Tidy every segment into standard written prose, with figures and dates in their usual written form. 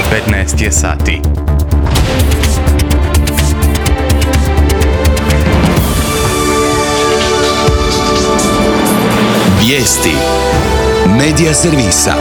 15 je sati. Vijesti Medija servisa.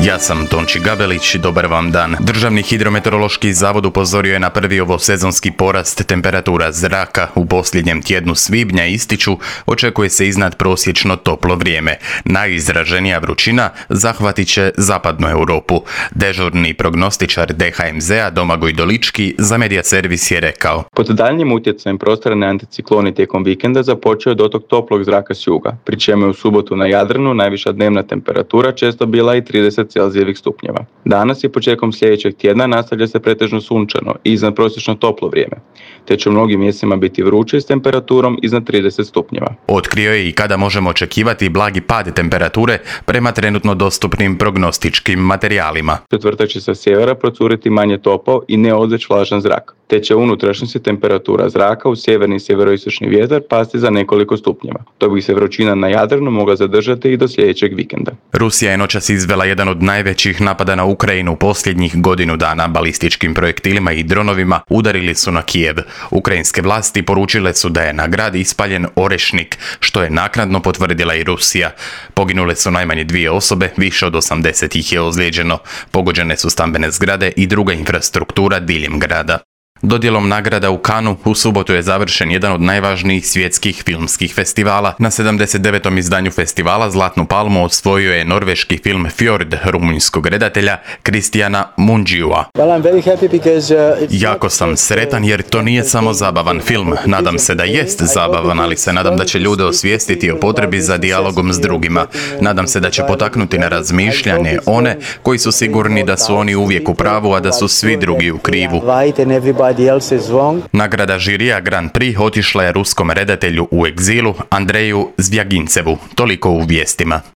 Ja sam Tonči Gabelić, dobar vam dan. Državni hidrometeorološki zavod upozorio je na prvi ovosezonski porast temperatura zraka u posljednjem tjednu svibnja. Ističu, očekuje se iznad prosječno toplo vrijeme. Najizraženija vrućina zahvatit će zapadnu Europu. Dežurni prognostičar DHMZ-a Domagoj Dolički za Medija servis je rekao: Pod daljnjim utjecajem prostorne anticikloni tijekom vikenda započeo je dotok toplog zraka s juga, pri čemu je u subotu na Jadranu najviša dnevna temperatura često bila i 30 Celzijevih stupnjeva. Danas i početkom sljedećeg tjedna nastavlja se pretežno sunčano i iznadprosječno toplo vrijeme, te će u mnogim mjestima biti vruće s temperaturom iznad 30 stupnjeva. Otkrio je i kada možemo očekivati blagi pad temperature prema trenutno dostupnim prognostičkim materijalima. Četvrtak će sa sjevera procuriti manje topao i neodveć vlažan zrak, te će u unutrašnjosti temperatura zraka u sjeverni i sjeveroistočni vjetar pasti za nekoliko stupnjeva, dok bi se vrućina na Jadranu mogla zadržati i do sljedećeg vikenda. Rusija je noćas izvela jedan od najvećih napada na Ukrajinu posljednjih godinu dana. Balističkim projektilima i dronovima udarili su na Kijev. Ukrajinske vlasti poručile su da je na grad ispaljen Orešnik, što je naknadno potvrdila i Rusija. Poginule su najmanje 2 osobe, više od 80 ih je ozlijeđeno. Pogođene su stambene zgrade i druga infrastruktura diljem grada. Dodjelom nagrada u Cannesu u subotu je završen jedan od najvažnijih svjetskih filmskih festivala. Na 79. izdanju festivala Zlatnu palmu osvojio je norveški film Fjord rumunjskog redatelja Kristijana Mundžiua. Jako sam sretan jer to nije samo zabavan film. Nadam se da jest zabavan, ali se nadam da će ljude osvijestiti o potrebi za dijalogom s drugima. Nadam se da će potaknuti na razmišljanje one koji su sigurni da su oni uvijek u pravu, a da su svi drugi u krivu. Nagrada žirija Grand Prix otišla je ruskom redatelju u egzilu Andreju Zvjagincevu. Toliko u vijestima.